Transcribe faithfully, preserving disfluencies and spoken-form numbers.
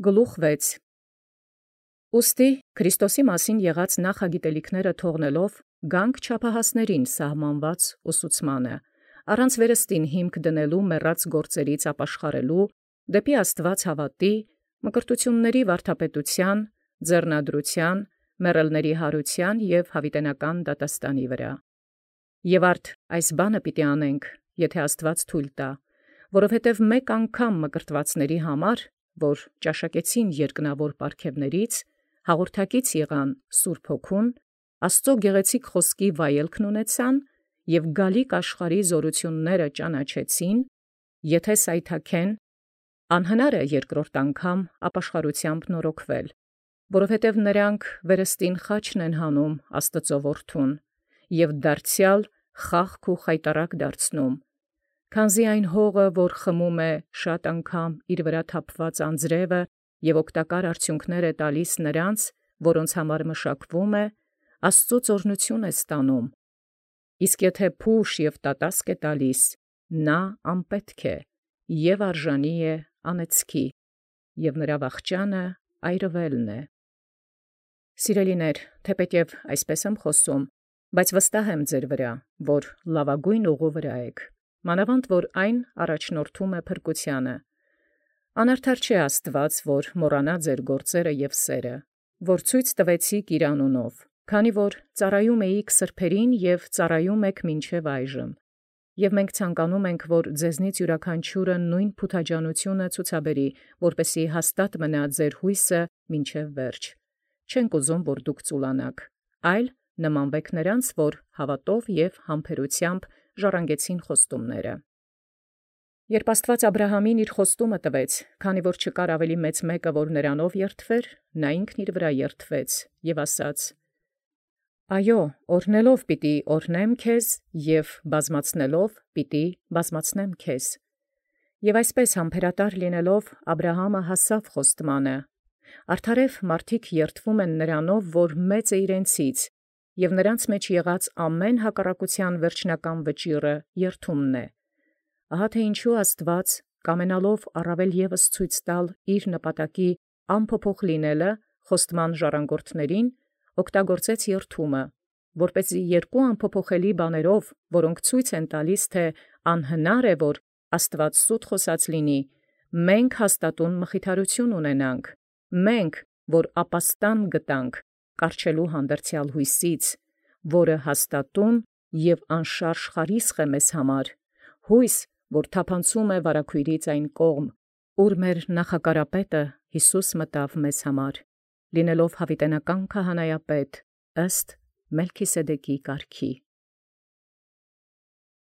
Գլուխ վեց. Ուստի Քրիստոսի մասին եղած նախագիտելիքները թողնելով գանք չափահասներին սահմանված ուսուցմանը, առանց վերստին հիմք դնելու մեռած գործերից ապաշխարելու, դեպի Աստուած հավատի, մկրտությունների վարդապետության, ձեռնադրության, մեռելների հարության և յաւիտենական դատաստանի վրա։ Եւ արդ այս բանը պիտի անենք, եթէ Աստուած թույլ տայ, որովհետև մեկ անգամ մկրտվածների համար, որ ճաշակեցին երկնավոր պարգևներից, հաղորդակից եղան Սուրբ Հոգուն, Աստուծոյ գեղեցիկ խօսքի վայելքն ունեցան և գալիք աշխարհի զօրութիւնսն ճանաչեցին, եթէ սայթաքեն, անհնար է երկրորդ անգամ ապաշխարութեամբ նորոգվել, որովհետև նոցա վերստին խաչն են հանում Աստուծոյ որդուն, և դարձեալ խաղք ու խայտառակ դարձնում, քանզի այն հողը, որ խմում է շատ անգամ իր վրա թափուած անձրևը և օգտակար արդյունքս է տալիս նոցա, որոնց համար մշակվում է, Աստուծոյ օրհնութիւն է ստանում, իսկ եթէ փուշ և տատասկ է տալիս, նա անպետք է և արժանի է անեծքի, և նրա վախճանը այրուելն է։ Սիրելիներ, թէպէտ այսպէս եմ խոսում, բայց վստահ եմ ձեր վրա, որ լաւագոյն ուղու վրայ էք, մանաւանդ որ այն առաջնորդում է փրկութեանը։ Անարդար չէ Աստուած, որ մոռանա ձեր գործերը և սերը, որ ցույց տուեցիք իր անունով, քանի որ ծառայում էիք սրբոցն և ծառայում եք մինչև այժմ։ Եւ մենք ցանկանում ենք, որ ձեզնից յիւրաքանչիւրը նոյն փութաջանութիւնը ցուցաբերի, որպեսզի հաստատ մնա ձեր յուսը մինչև վերջ։ Չենք ուզում, որ դուք ծուլանաք, այլ նմանվեք նոցա, որ հաւատով և համբերութեամբ ժառանգեցին խոստումս։ Երբ Աստուած Աբրահամին իր խոստումն տվեց, քանի որ չկար ավելի մեծ մեկը, որ նորանով երդվեր, նա ինքն իւր վրայ երդվեց և ասաց. «Այո, օրհնելով պիտի օրհնեմ քեզ, և բազմացնելով պիտի բազմացնեմ քեզ»։ Եւ այսպէս համբերատար լինելով Աբրահամը հասաւ խոստմանն. արդարև մարդիկ երդվում են նորանով, որ մեծ է իրենցից, և նոցա մեջ եղած ամեն հակառակութեան վերջնական վճիռը երդումն է։ Ահա թէ յինչու Աստուած կամենալով առավել ևս ցույց տալ իր նպատակի անփոփոխ լինելը խոստման ժառանգորդացն, օգտագործեց երդումը, որպէսզի երկու անփոփոխելի բաներով, որոնք ցույց են տալիս, թէ անհնար է, որ Աստուած սուտ խոսած լինի, մենք հաստատուն մխիթարութիւն ունենանք, մենք, որ ապաստան գտանք կառչելու հանդերձեալ յուսից, որը հաստատուն և անշարժ խարիսխ է մեզ համար, յույս, որ թափանցում է վարագոյրից այն կողմ, ուր մեր նախակարապետը Յիսուս մտաւ մեզ համար, լինելով յաւիտենական քահանայապետ ըստ Մելքիսեդեկի կարգի։